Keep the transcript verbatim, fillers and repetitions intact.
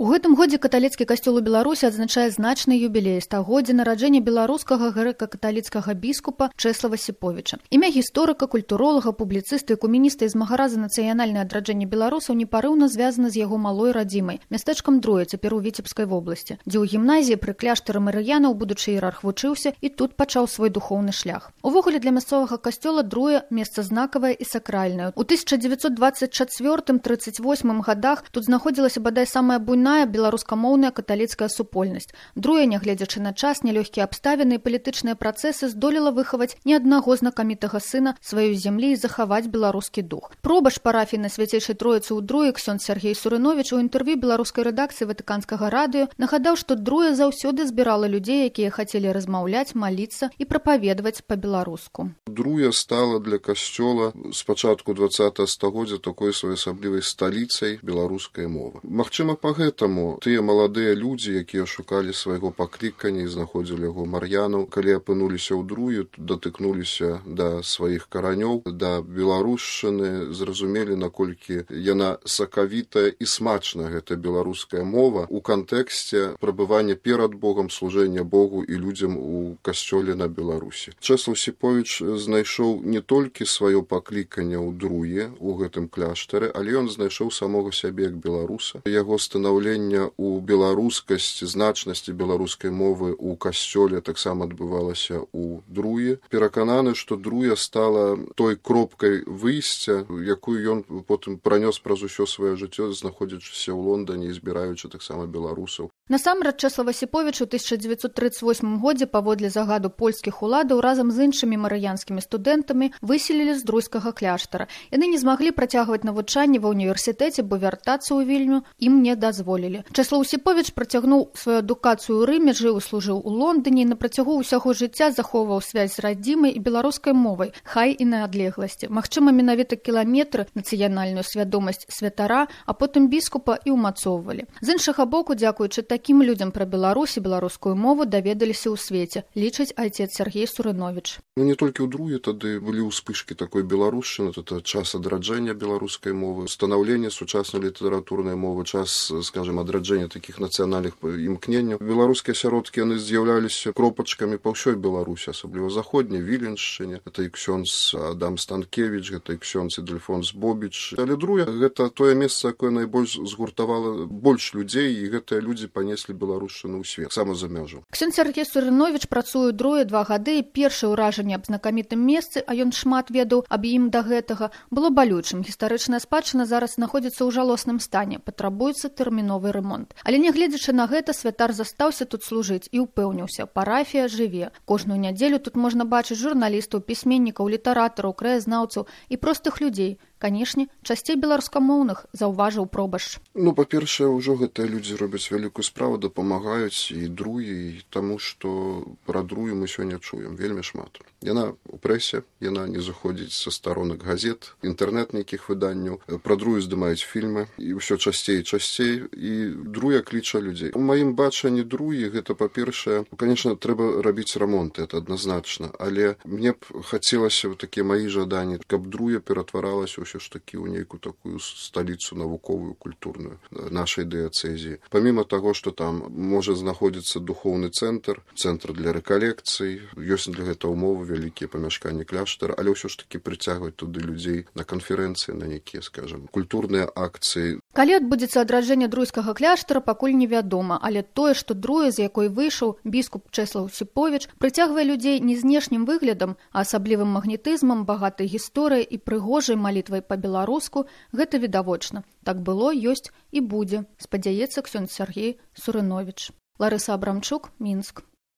У гэтым годзе каталіцкі касцёл у Беларусі адзначае значны юбілей стагоддзя нараджэння беларускага грэка-каталіцкага біскупа Чэслава Сіповіча. Імя гісторыка, культуролага, публіцыста, экумініста і змагара за нацыянальнае адраджэнне беларусаў непарыўна звязана з яго малой радзімай, мястэчкам Друе, цяпер у Віцебскай вобласці, дзе ў гімназіі пры кляштары марыянаў будучы іерарх вучыўся і тут пачаў свой духоўны шлях. Увогуле для мясцовага касцёла Друе месца знакавае і сакральнае. У тысяча дзевяцьсот дваццаць чацвёртым — трыццаць восьмым гадах тут знаходзілася бадай самая буйная беларускамоўная каталіцкая супольнасць. Друе, нягледзячы на час, нялёгкія абставіны і палітычныя працэсы, здолела выхаваць ні аднаго знакамітага сына сваёй зямлі і захаваць беларускі дух. Пробаш парафіі на Свяцейшай Троіцы ў Друе ксёндз Сяргей Сурыновіч у інтэрв'ю беларускай рэдакцыі Ватыканскага радыё нагадаў, што Друе заўсёды збірала людзей, якія хацелі размаўляць, маліцца і прапаведаваць па-беларуску. Друе стала для касцёла з пачатку дваццатага стагоддзя такой своеасаблівай сталіцай беларускай мовы. Магчыма, па гэтаму тыя маладыя людзі, якія шукалі свайго паклікання і знаходзілі яго мар'янаў, калі апынуліся ў Друе, датыкнуліся да сваіх каранёў, да беларушчыны, зразумелі, наколькі яна сакавітая і смачная, гэта беларуская мова, у кантэксце прабывання перад Богам, служэння Богу і людзям у касцёле на Беларусі. Чэслаў Сіповіч знайшоў не толькі сваё пакліканне ў Друе, у гэтым кляштары, але ён знайшоў самога сябе як беларуса. Яго станаўлення ў беларускасці, значнасці беларускай мовы ў касцёле таксама адбывалася ў Друе. Перакананы, што Друе стала той кропкай выйсця, якую ён потым пранёс праз усё сваё жыццё, знаходзячыся ў Лондане і збіраючы таксама беларусаў. Насамрэч, Чэслава Сіповіча ў тысяча дзевяцьсот трыццаць восьмым годзе паводле загаду польскіх уладаў разам з іншымі марыянскімі студэнтамі выселілі з друйскага кляштара. Яны не змаглі працягваць навучанне ва ўніверсітэце, бо вяртацца ў Вільню ім не дазволілі. Чэслаў Сіповіч працягнуў сваю адукацыю ў Рыме, жыў і служыў у Лондоне і на працягу ўсяго жыцця захоўваў связь з радзімай і беларускай мовай, хай і на адлегласці. Магчыма, менавіта кіламетры нацыянальную свядомасць святара, а потым біскупа і ўмацоўвалі. З іншага боку, дзякуючы такім людзям пра Беларусь і беларускую мову даведаліся ў свеце, лічыць айцец Сяргей Сурыновіч. Ну, не толькі ў Друе тады былі ўспышкі такой беларушчыны, это час адраджэння беларускай мовы, станаўлення сучаснай літаратурнай мовы, час, скажем, адраджэння такіх нацыянальных імкненняў. Беларускія асяродкі, яны з'яўляліся кропачкамі па ўсёй Беларусі, асабліва заходняй, Віленшчыне. Гэта і ксёндз Адам Станкевіч, гэта і ксёндз Ідэльфонс Бобіч. Але Друе — гэта тое месца, якое найбольш згуртавала больш людзей, і гэтыя людзі панеслі беларушчыну ў свет, сама за мяжу. Ксёндз Сяргей Сурыновіч працуе ў Друе два гады, і першае ўражанне аб знакамітым месцы, а ён шмат ведаў аб ім да гэтага, было балючым. Гістарычная спадчына зараз знаходзіцца ў жалосным стане, патрабуецца тэрміновы ремонт. Але нягледзячы на гэта, святар застаўся тут служыць і ўпэўніўся, парафія жыве. Кожную нядзелю тут можна бачыць журналістаў, пісьменнікаў, літаратараў, краязнаўцаў і простых людзей. Канешне, часцей беларускамоўных, заўважыў Пробаш. Ну, па-першае, ўжо гэтыя людзі робяць вялікую справу, дапамагаюць і Друе, і таму, што пра Друе мы сёння чуем вельмі шмат. Яна ў прэсе, яна не заходзіць са старонак газет, інтэрнэт нейкіх выданняў, пра Друе здымаюць фільмы, і ўсё часцей і часцей, і Друе кліча людзей. У маім бачанні Друе гэта, па-першае, конечно, трэба рабіць рамонт, это адназначна, але мне б хацелася, такія маі жаданні, каб Друе ператваралася ўсё ж такі ў нейкую такую сталіцу навуковую, культурную нашай дыяцэзіі. Паміма таго, што там можа знаходзіцца духоўны цэнтр, цэнтр для рэкалекцый, ёсць для гэта ўмовы, вялікія памяшканні кляштара, але ўсё ж такі прыцягваць туды людзей на канферэнцыі, на нейкія, скажам, культурныя акцыі. Калі адбудзецца адраджэнне друйскага кляштара, пакуль невядома, але тое, што Друе, з якой выйшаў біскуп Чэслаў Сіповіч, прыцягвае людзей не знешнім выглядам, а асаблівым магнетызмам, багатай гісторыяй і прыгожай малітвай па-беларуску, гэта відавочна. Так было, ёсць і будзе, спадзяецца ксёндз Сяргей Сурыновіч. Ларыса Абрамчук, Мінск.